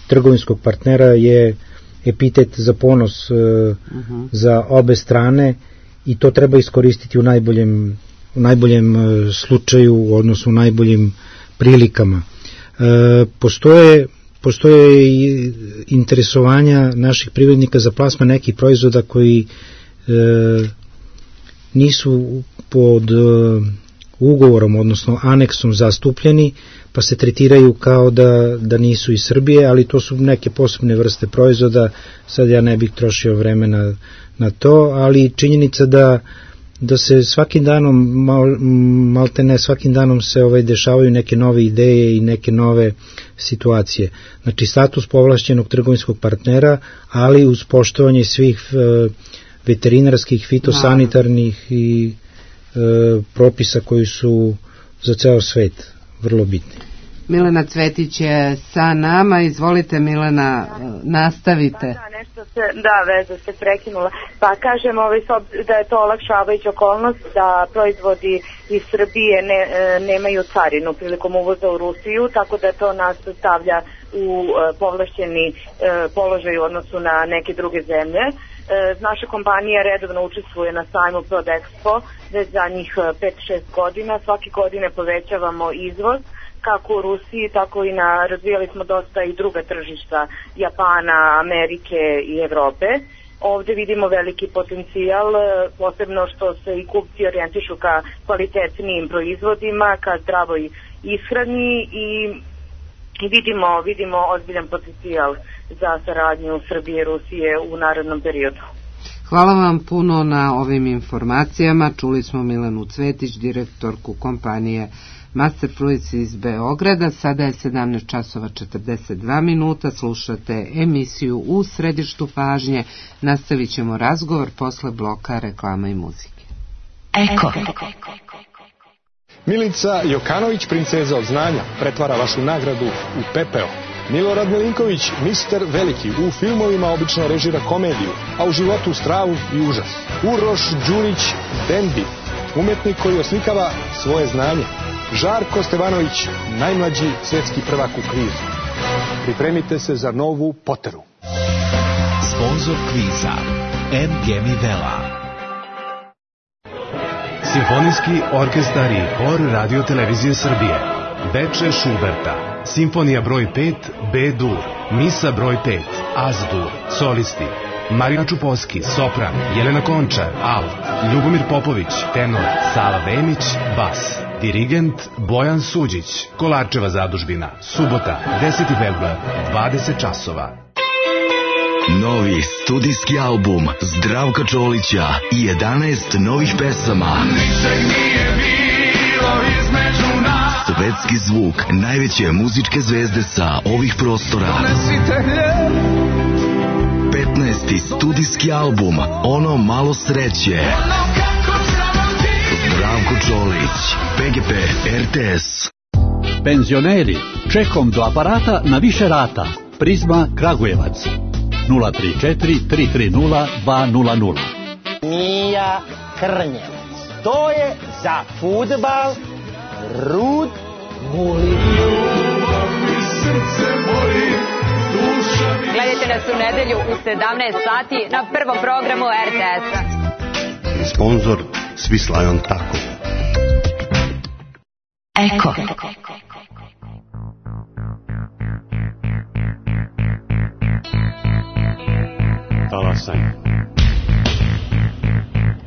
[SPEAKER 2] trgovinskog partnera je epitet za ponos uh-huh. za obe strane i to treba iskoristiti u najboljem, u najboljem slučaju, odnosno u najboljim prilikama. E, postoje Postoje i interesovanja naših privrednika za plasman nekih proizvoda koji e, nisu pod e, ugovorom, odnosno aneksom zastupljeni, pa se tretiraju kao da, da nisu iz Srbije, ali to su neke posebne vrste proizvoda, sad ja ne bih trošio vremena na to, ali činjenica da da se svakim danom, mal, malte ne, svakim danom se ovaj, dešavaju neke nove ideje i neke nove situacije. Znači, status povlašćenog trgovinskog partnera, ali uz poštovanje svih e, veterinarskih, fitosanitarnih i e, propisa koji su za ceo svet vrlo bitni.
[SPEAKER 1] Milena Cvetić je sa nama, izvolite Milena, nastavite.
[SPEAKER 6] Da, da, nešto se, da, veza se prekinula. Pa kažem ovaj, da je to olakšavajuća okolnost da proizvodi iz Srbije ne, nemaju carinu prilikom uvoza u Rusiju, tako da to nas stavlja u povlašćeni položaj u odnosu na neke druge zemlje. Naša kompanija redovno učestvuje na sajmu Prodexpo već zadnjih pet šest godina. Svake godine povećavamo izvoz kako u Rusiji, tako i na, razvijali smo dosta i druga tržišta Japana, Amerike i Evrope. Ovde vidimo veliki potencijal, posebno što se i kupci orijentišu ka kvalitetnijim proizvodima, ka zdravoj ishrani i vidimo, vidimo ozbiljan potencijal za saradnju Srbije i Rusije u narednom periodu.
[SPEAKER 1] Hvala vam puno na ovim informacijama. Čuli smo Milenu Cvetić, direktorku kompanije Master Fluids iz Beograda. Sada je sedamnaest časova četrdeset dva minuta. Slušate emisiju U središtu pažnje. Nastavit ćemo razgovor posle bloka reklama i muzike.
[SPEAKER 7] Eko. Milica Jokanović, princeza od znanja, pretvara vašu nagradu u pepeo. Milorad Milinković, mister Veliki, u filmovima obično režira komediju, a u životu stravu i užas. Uroš Đurić, Dendi, umetnik koji oslikava svoje znanje. Žarko Stevanović, najmlađi svetski prvak u kvizu. Pripremite se za novu Poteru.
[SPEAKER 8] Sponzor kviza M G Mivela. Simfonijski orkestar i hor Radio Televizije Srbije. Beče Šuberta. Simfonija broj pet, B-dur. Misa broj pet, Az-dur. Solisti: Marina Čuposki, sopran, Jelena Končar, alt, Ljubomir Popović, tenor, Sava Vemić, bas. Dirigent Bojan Suđić. Kolarčeva zadužbina. Subota, deseti februar, dvadeset časova.
[SPEAKER 9] Novi studijski album Zdravka Čolića i jedanaest novih pesama. Ničeg nije bilo između nas. Svetski zvuk najveće muzičke zvezde sa ovih prostora. petnaesti studijski album Ono malo sreće. Zdravko Čolić, P G P, R T S.
[SPEAKER 10] Penzioneri, čekom do aparata na više rata. Prizma Kragujevac. nula tri četiri tri tri nula dva nula nula.
[SPEAKER 11] Mija Krnjevac. To je za fudbal Rud Guli.
[SPEAKER 12] Gledajte nas u nedelju u sedamnaest sati na prvom programu R T S-a.
[SPEAKER 13] Sponzor Svislajon Tako.
[SPEAKER 7] Eko.
[SPEAKER 13] Talasaj.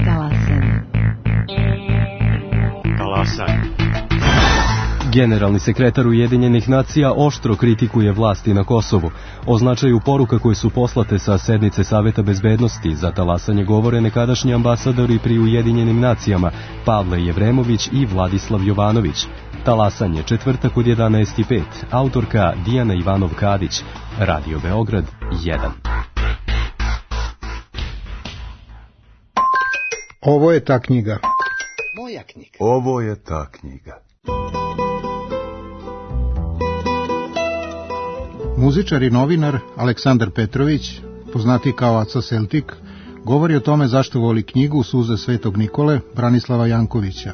[SPEAKER 7] Talasaj.
[SPEAKER 13] Talasaj.
[SPEAKER 14] Generalni sekretar Ujedinjenih nacija oštro kritikuje vlasti na Kosovu. O značaju poruka koje su poslate sa sednice Saveta bezbednosti za talasanje govore nekadašnji ambasadori pri Ujedinjenim nacijama Pavle Jevremović i Vladislav Jovanović. Talasanje, četvrtak od jedanaest i pet. Autorka Dijana Ivanov-Kadić. Radio Beograd jedan.
[SPEAKER 2] Ovo je ta knjiga.
[SPEAKER 11] Moja knjiga.
[SPEAKER 15] Ovo je ta knjiga.
[SPEAKER 2] Muzičar i novinar Aleksandar Petrović, poznati kao Aca Celtik, govori o tome zašto voli knjigu Suze Svetog Nikole Branislava Jankovića.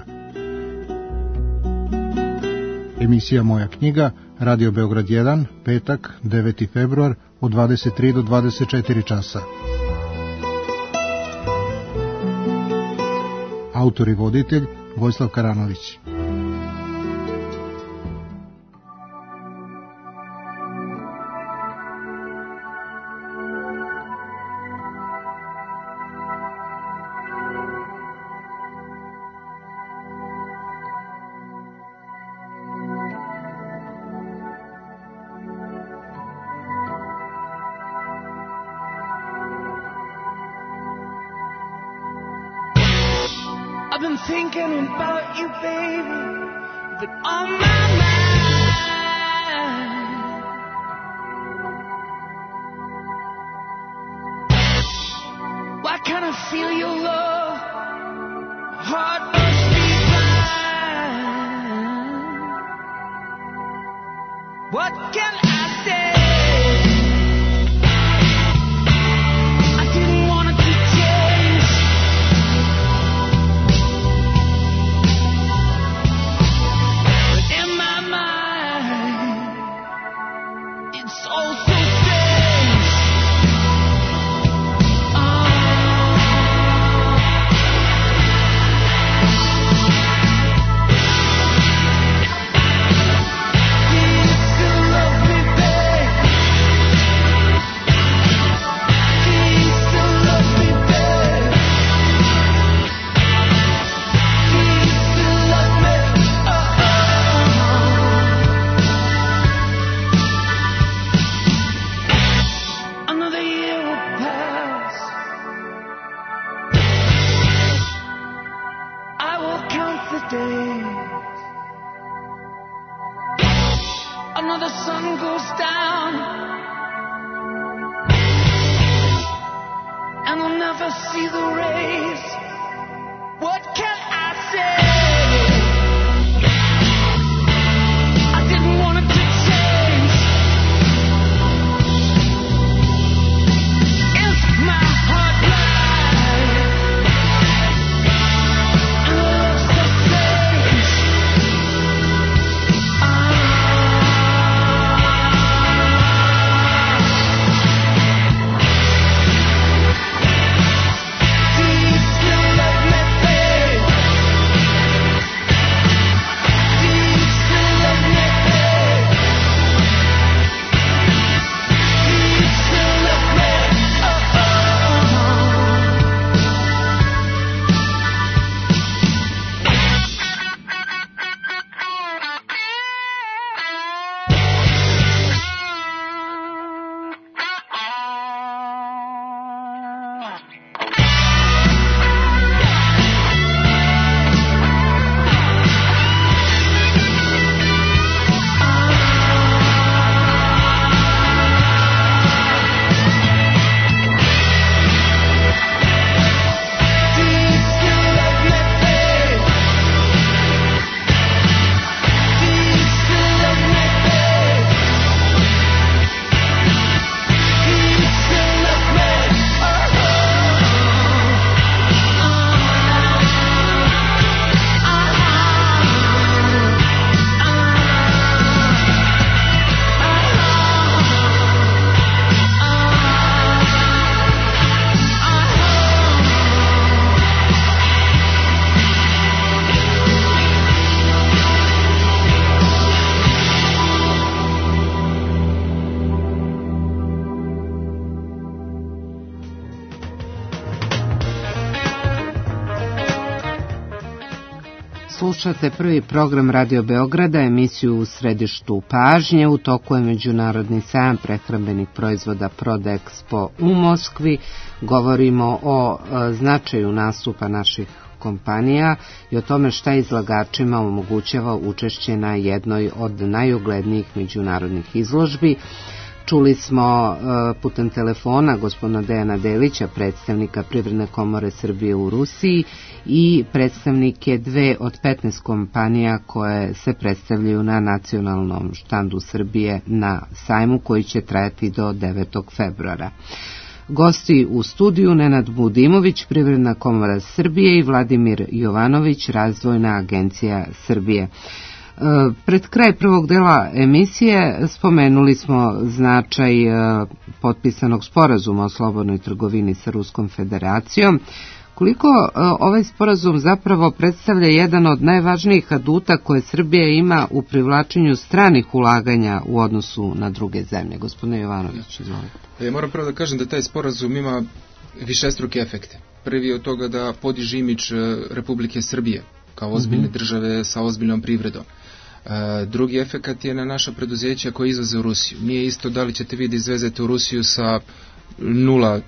[SPEAKER 2] Emisija Moja knjiga, Radio Beograd jedan, petak, deveti februar, od dvadeset tri do dvadeset četiri časa. Autor i voditelj Vojislav Karanović.
[SPEAKER 16] I've been thinking about you, baby, but on my mind. Why can't I feel your love? My heart must be blind. What can I say? I didn't want it to change. But in my mind, it's all so strange. Oh. Another sun goes down, and I'll never see the rays. What can I say? I didn't want it to change. Is my heart blind? And love's so strange.
[SPEAKER 3] Slušate prvi program Radio Beograda, emisiju U središtu pažnje. U toku je Međunarodni sajam prehrambenih proizvoda Prodexpo u Moskvi. Govorimo o e, značaju nastupa naših kompanija i o tome šta izlagačima omogućava učešće na jednoj od najuglednijih međunarodnih izložbi. Čuli smo e, putem telefona gospodina Dejana Delića, predstavnika Privredne komore Srbije u Rusiji, i predstavnike dve od petnaest kompanija koje se predstavljaju na nacionalnom štandu Srbije na sajmu koji će trajati do devetog februara. Gosti u studiju Nenad Budimović, Privredna komora Srbije, i Vladimir Jovanović, Razvojna agencija Srbije. Pred kraj prvog dela emisije spomenuli smo značaj potpisanog sporazuma o slobodnoj trgovini sa Ruskom federacijom. Koliko ovaj sporazum zapravo predstavlja jedan od najvažnijih aduta koje Srbija ima u privlačenju stranih ulaganja u odnosu na druge zemlje? Gospodine Jovanović, izvolite.
[SPEAKER 4] Ja moram prvo da kažem da taj sporazum ima višestruke efekte. Prvi od toga da podiže imidž Republike Srbije kao ozbiljne mm-hmm. države sa ozbiljnom privredom. E, drugi efekat je na naša preduzeća koja izvoze u Rusiju. Nije isto da li ćete vi da izvezete u Rusiju sa nula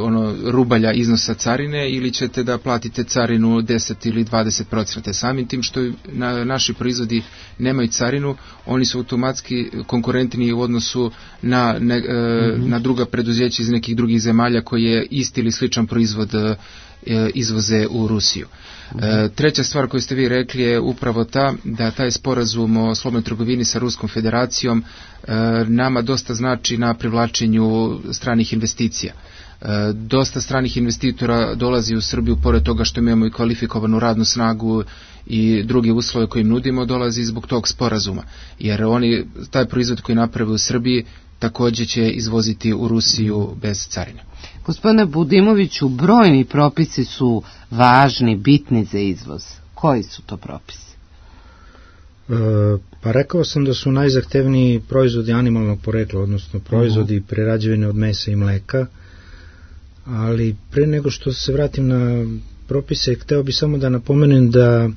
[SPEAKER 4] ono rubalja iznosa carine ili ćete da platite carinu deset ili dvadeset procenata. Samim tim što na, naši proizvodi nemaju carinu, oni su automatski konkurentni u odnosu na, ne, mm-hmm. na druga preduzeća iz nekih drugih zemalja koje isti ili sličan proizvod izvoze u Rusiju. Treća stvar koju ste vi rekli je upravo ta da taj sporazum o slobodnoj trgovini sa Ruskom federacijom nama dosta znači na privlačenju stranih investicija. Dosta stranih investitora dolazi u Srbiju, pored toga što imamo i kvalifikovanu radnu snagu i druge uslove koje im nudimo, dolazi zbog tog sporazuma, jer oni taj proizvod koji naprave u Srbiji također će izvoziti u Rusiju bez carine.
[SPEAKER 1] Gospodine Budimoviću, brojni propisi su važni, bitni za izvoz. Koji su to propisi?
[SPEAKER 2] E, pa rekao sam da su najzahtevniji proizvodi animalnog porekla, odnosno proizvodi uh-huh. prerađevine od mesa i mleka, ali pre nego što se vratim na propise, hteo bi samo da napomenem da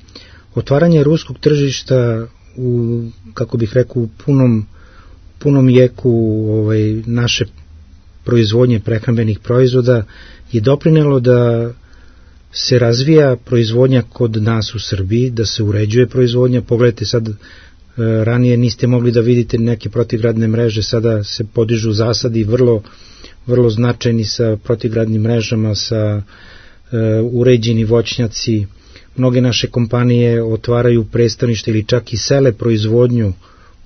[SPEAKER 2] otvaranje ruskog tržišta u, kako bih rekao, u punom, punom jeku ovaj, naše proizvodnje prehrambenih proizvoda je doprinelo da se razvija proizvodnja kod nas u Srbiji, da se uređuje proizvodnja. Pogledajte sad, ranije niste mogli da vidite neke protivgradne mreže, sada se podižu zasadi vrlo, vrlo značajni sa protivgradnim mrežama, sa uh, uređeni voćnjaci. Mnoge naše kompanije otvaraju predstavnište ili čak i sele proizvodnju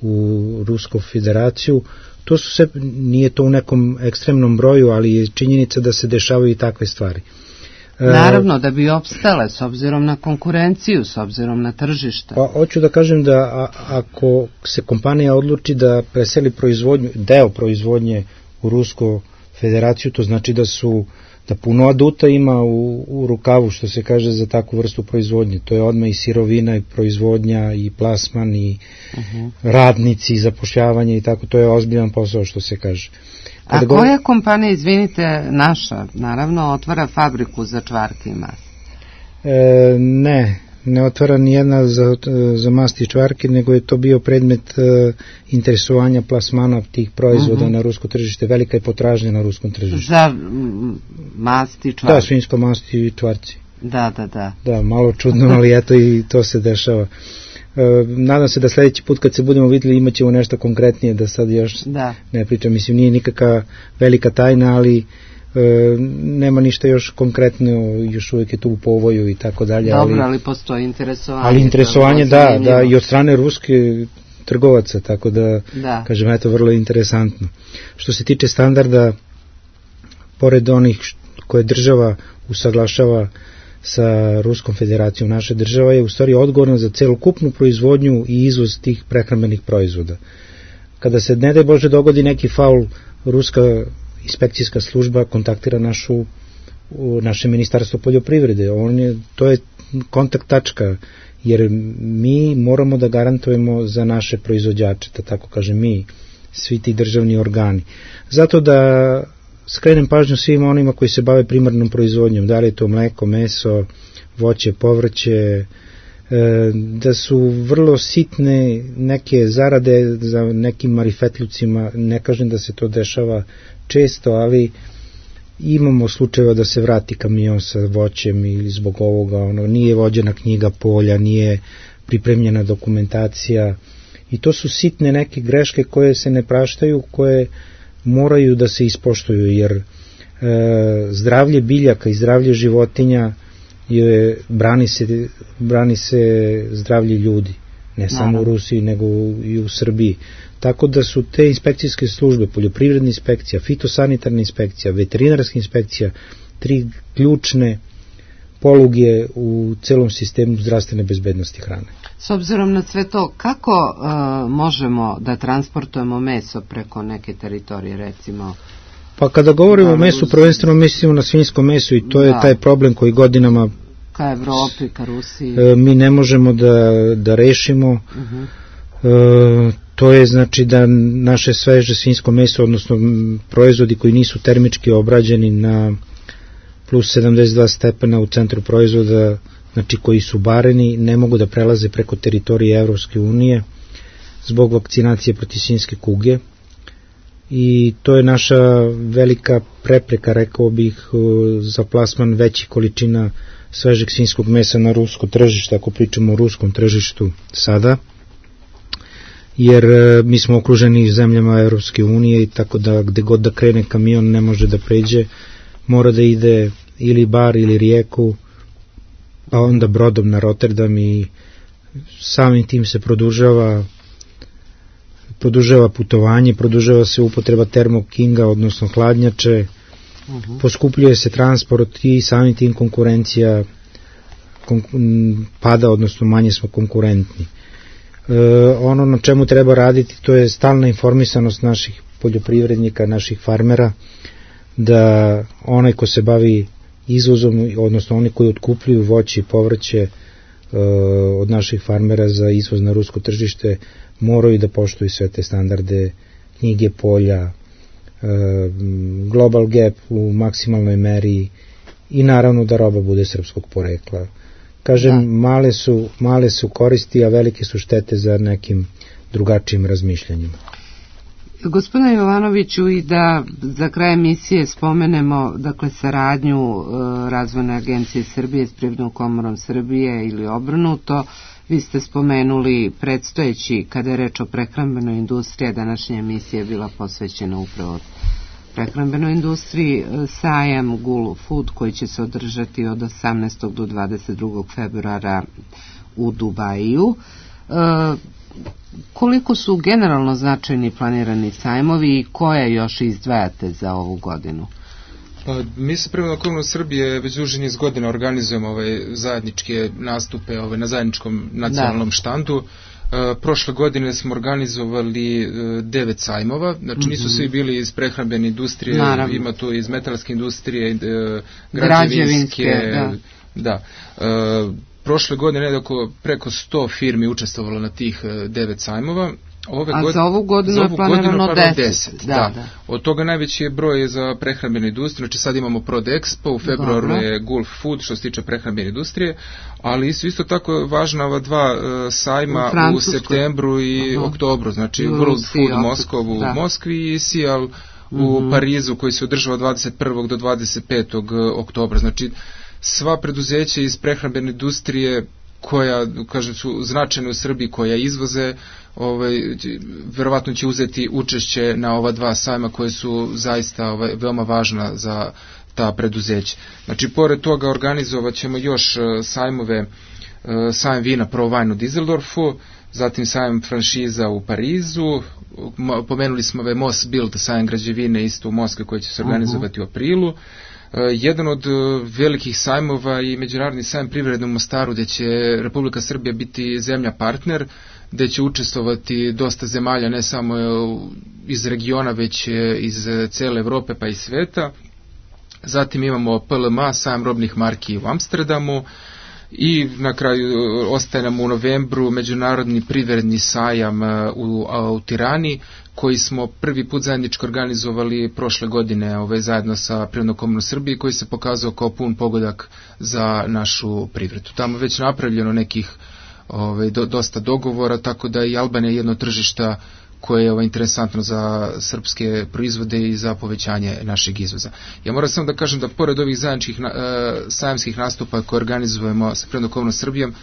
[SPEAKER 2] u Rusku federaciju. To su sve, nije to u nekom ekstremnom broju, ali je činjenica da se dešavaju i takve stvari.
[SPEAKER 1] Naravno, da bi opstale s obzirom na konkurenciju, s obzirom na tržište.
[SPEAKER 2] Pa hoću da kažem da a, ako se kompanija odluči da preseli proizvodnju, deo proizvodnje u Rusku federaciju, to znači da su da puno aduta ima u, u rukavu, što se kaže, za takvu vrstu proizvodnje. To je odmah i sirovina, i proizvodnja, i plasman, i uh-huh. radnici, i zapošljavanje, i tako. To je ozbiljan posao, što se kaže.
[SPEAKER 1] Kada A koja govor... kompanija, izvinite, naša, naravno, otvara fabriku za čvarke i mast?
[SPEAKER 2] E, ne, ne otvara nijedna za, za masti i čvarke, nego je to bio predmet e, interesovanja plasmana tih proizvoda uh-huh. na rusko tržište. Velika je potražnja na ruskom tržištu.
[SPEAKER 1] Za masti i čvarke?
[SPEAKER 2] Da, svinjsko masti i čvarci.
[SPEAKER 1] Da, da, da.
[SPEAKER 2] Da, malo čudno, ali eto i to se dešava. E, nadam se da sledeći put kad se budemo vidjeli imat ćemo nešto konkretnije, da sad još da. ne pričam. Mislim, nije nikakva velika tajna, ali e, nema ništa još konkretno, još uvijek je tu u povoju i tako dalje.
[SPEAKER 1] Dobro, ali,
[SPEAKER 2] ali
[SPEAKER 1] postoji interesovanje.
[SPEAKER 2] Ali interesovanje, da, da, i od strane ruske trgovaca, tako da, da. kažem, eto, vrlo interesantno. Što se tiče standarda, pored onih koje država usaglašava sa Ruskom federacijom, naša država je u stvari odgovorna za celokupnu proizvodnju i izvoz tih prehrambenih proizvoda. Kada se, ne daj Bože, dogodi neki faul, ruska inspekcijska služba kontaktira našu, naše ministarstvo poljoprivrede. On je, to je kontakt tačka, jer mi moramo da garantujemo za naše proizvođače, da tako kažem mi, svi ti državni organi. Zato da skrenem pažnju svima onima koji se bave primarnom proizvodnjom, da li je to mleko, meso, voće, povrće, da su vrlo sitne neke zarade za nekim marifetlucima. Ne kažem da se to dešava često, ali imamo slučajeva da se vrati kamion sa voćem ili zbog ovoga, ono, nije vođena knjiga polja, nije pripremljena dokumentacija, i to su sitne neke greške koje se ne praštaju, koje moraju da se ispoštuju, jer e, zdravlje biljaka i zdravlje životinja je, brani, se, brani se zdravlje ljudi, ne Naravno. samo u Rusiji, nego i u Srbiji. Tako da su te inspekcijske službe, poljoprivredna inspekcija, fitosanitarna inspekcija, veterinarska inspekcija, tri ključne poluge u celom sistemu zdravstvene bezbednosti hrane.
[SPEAKER 1] S obzirom na sve to, kako uh, možemo da transportujemo meso preko neke teritorije, recimo?
[SPEAKER 2] Pa kada govorimo o mesu, prvenstveno mislimo na svinjsko meso, i to da. je taj problem koji godinama
[SPEAKER 1] ka Evropi, ka Rusiji
[SPEAKER 2] uh, mi ne možemo da, da rešimo. Uh-huh. Uh, to je znači da naše sveže svinjsko meso, odnosno proizvodi koji nisu termički obrađeni na plus sedamdeset dva stepena u centru proizvoda, znači koji su bareni, ne mogu da prelaze preko teritorije Evropske unije zbog vakcinacije protiv svinjske kuge, i to je naša velika prepreka, rekao bih, za plasman većih količina svežeg svinjskog mesa na rusko tržište, ako pričamo o ruskom tržištu sada, jer mi smo okruženi zemljama Evropske unije, i tako da gde god da krene kamion ne može da pređe, mora da ide ili Bar ili Rijeku, pa onda brodom na Rotterdam i samim tim se produžava produžava putovanje, produžava se upotreba termokinga, odnosno hladnjače, uh-huh. poskupljuje se transport i samim tim konkurencija pada, odnosno manje smo konkurentni. E, ono na čemu treba raditi, to je stalna informisanost naših poljoprivrednika, naših farmera, da onaj ko se bavi izvozom, odnosno oni koji otkupljuju voće i povrće e, od naših farmera za izvoz na rusko tržište, moraju da poštuju sve te standarde, knjige polja, e, Global Gap u maksimalnoj meri i naravno da roba bude srpskog porekla. Kažem, da. male su, male su koristi, a velike su štete za nekim drugačijim razmišljanjima.
[SPEAKER 1] Gospodine Jovanoviću, i da za kraj emisije spomenemo dakle saradnju e, Razvojne agencije Srbije s Privrednom komorom Srbije ili obrnuto. Vi ste spomenuli predstojeći, kada je reč o prehrambenoj industriji, današnja emisija je bila posvećena upravo prehrambenoj industriji, sajam Gul Food koji će se održati od osamnaestog do dvadeset drugog februara u Dubaju. E, koliko su generalno značajni planirani sajmovi i koje još izdvajate za ovu godinu?
[SPEAKER 4] Pa, mi se Privredna komora Srbije već duži niz godina organizujemo ove zajedničke nastupe ove, na zajedničkom nacionalnom da. štandu. E, prošle godine smo organizovali e, devet sajmova, znači mm-hmm. nisu svi bili iz prehrambene industrije, naravno. Ima tu iz metalske industrije, e, građevinske, građevinske da. da. E, prošle godine nedako preko sto firmi učestvovalo na tih e, devet sajmova. Ove
[SPEAKER 1] A
[SPEAKER 4] god...
[SPEAKER 1] za ovu godinu za ovu je planirano deset.
[SPEAKER 4] deset da, da. Da. Od toga najveći je broj za prehrambenu industriju, znači sad imamo Prodexpo, u februaru Dobro. je Gulf Food što se tiče prehrambene industrije, ali su isto tako važna ova dva uh, sajma u, u septembru i uh-huh. oktobru, znači u World Rusiji, Food Moskov u da. Moskvi i Sial uh-huh. u Parizu koji se održava dvadeset prvog do dvadeset petog oktobra, znači sva preduzeća iz prehrambene industrije koja, kažem, su značajne u Srbiji, koja izvoze, ovaj, verovatno će uzeti učešće na ova dva sajma koje su zaista ovaj, veoma važna za ta preduzeća. Znači, pored toga organizovat ćemo još sajmove, sajam vina Pro Wine u Düsseldorfu, zatim sajam franšiza u Parizu, pomenuli smo ovaj Mosbuild, sajam građevine isto u Moskvi koji će se organizovati uh-huh. u aprilu. Uh, jedan od uh, velikih sajmova i međunarodni sajam privredne u Mostaru, gde će Republika Srbija biti zemlja partner, gde će učestvovati dosta zemalja, ne samo uh, iz regiona, već uh, iz cele Evrope pa i sveta. Zatim imamo P L M A, sajam robnih marki u Amsterdamu, i na kraju uh, ostaje nam u novembru međunarodni privredni sajam uh, u, uh, u Tirani, koji smo prvi put zajednički organizovali prošle godine ove, zajedno sa Privrednom komorom Srbije, koji se pokazao kao pun pogodak za našu privredu. Tamo je već napravljeno nekih ove, do, dosta dogovora, tako da i Albanija je jedno tržišta koje je ovo interesantno za srpske proizvode i za povećanje našeg izvoza. Ja moram samo da kažem da pored ovih zajedničkih na, e, sajamskih nastupa koje organizujemo sa Privrednom komorom Srbijom,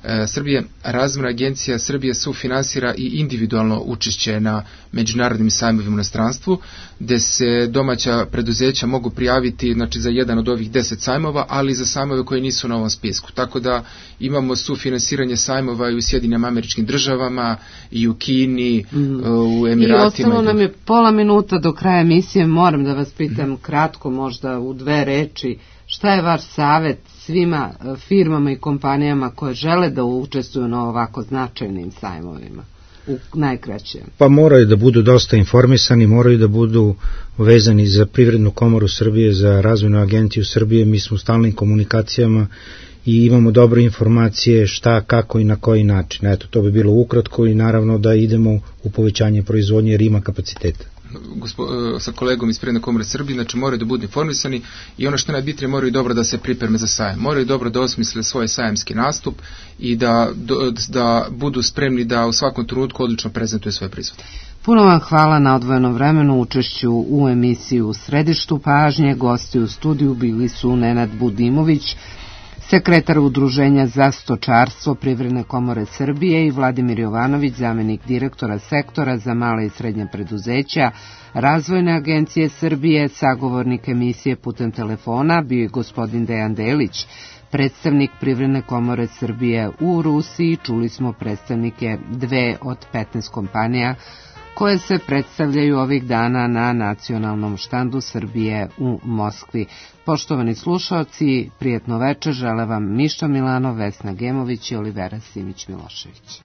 [SPEAKER 4] e, Srbije, Razvojna agencija Srbije sufinansira i individualno učešće na međunarodnim sajmovima u inostranstvu, gde se domaća preduzeća mogu prijaviti, znači, za jedan od ovih deset sajmova, ali i za sajmove koji nisu na ovom spisku. Tako da imamo sufinansiranje sajmova i u Sjedinjenim Američkim Državama, i u Kini, mm. u Emiratima.
[SPEAKER 1] I ostalo nam je pola minuta do kraja emisije, moram da vas pitam kratko, možda u dve reči, šta je vaš savjet svima firmama i kompanijama koje žele da učestvuju na ovako značajnim sajmovima? U najkraćem.
[SPEAKER 2] Pa moraju da budu dosta informisani, moraju da budu vezani za Privrednu komoru Srbije, za Razvojnu agenciju Srbije, mi smo u stalnim komunikacijama i imamo dobre informacije šta, kako i na koji način. Eto, to bi bilo ukratko i naravno da idemo u povećanje proizvodnje jer ima kapaciteta.
[SPEAKER 4] Gospo, sa kolegom iz Privredne komore Srbije, znači moraju da budu informisani i ono što najbitnije, moraju dobro da se pripreme za sajam, moraju dobro da osmisle svoj sajamski nastup i da, da budu spremni da u svakom trenutku odlično prezentuju svoje proizvode.
[SPEAKER 1] Puno vam hvala na odvojenom vremenu, učešću u emisiji U središtu pažnje. Gosti u studiju bili su Nenad Budimović, sekretar Udruženja za stočarstvo Privredne komore Srbije i Vladimir Jovanović, zamenik direktora sektora za male i srednje preduzeća Razvojne agencije Srbije. Sagovornik emisije putem telefona bio je gospodin Dejan Delić, predstavnik Privredne komore Srbije u Rusiji. Čuli smo predstavnike dve od petnaest kompanija koje se predstavljaju ovih dana na nacionalnom štandu Srbije u Moskvi. Poštovani slušaoci, prijetno večer, žele vam Mišo Milanov, Vesna Gemović i Olivera Simić-Milošević.